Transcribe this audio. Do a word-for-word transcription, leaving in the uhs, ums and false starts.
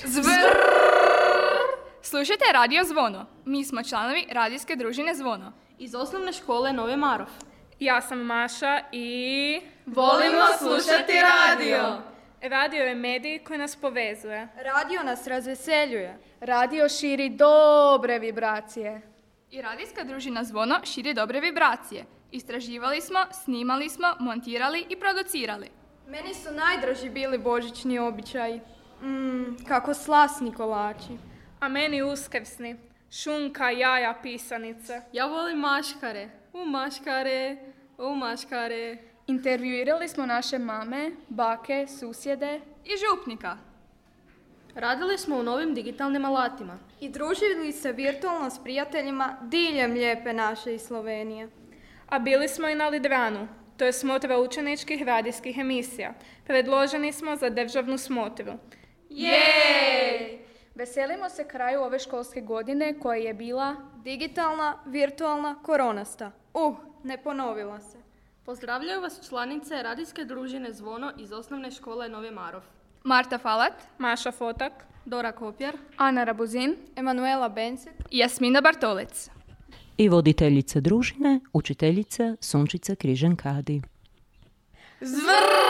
Zvrrrr! Slušajte Radio Zvono. Mi smo članovi radijske družine Zvono. Iz osnovne škole Novi Marof. Ja sam Maša i... Volimo slušati radio! Radio je medij koji nas povezuje. Radio nas razveseljuje. Radio širi dobre vibracije. I radijska družina Zvono širi dobre vibracije. Istraživali smo, snimali smo, montirali i producirali. Meni su najdraži bili božićni običaji. Mmm, kako slasni kolači. A meni uskrsni. Šunka, jaja, pisanice. Ja volim maškare. U maškare, u maškare. Intervjuirali smo naše mame, bake, susjede i župnika. Radili smo u novim digitalnim alatima. I družili se virtualno s prijateljima diljem lijepe naše i Slovenije. A bili smo i na Lidranu. To je smotra učeničkih radijskih emisija. Predloženi smo za državnu smotru. Jej! Veselimo se kraju ove školske godine koja je bila digitalna, virtualna, koronasta. Uh, ne ponovila se. Pozdravljaju vas članice radijske družine Zvono iz osnovne škole Novi Marof. Marta Falat, Maša Fotak, Dora Kopjer, Ana Rabuzin, Emanuela Bencek i Jasmina Bartolec. I voditeljica družine, učiteljica Sunčica Križan-Kadi. Zvrrrr!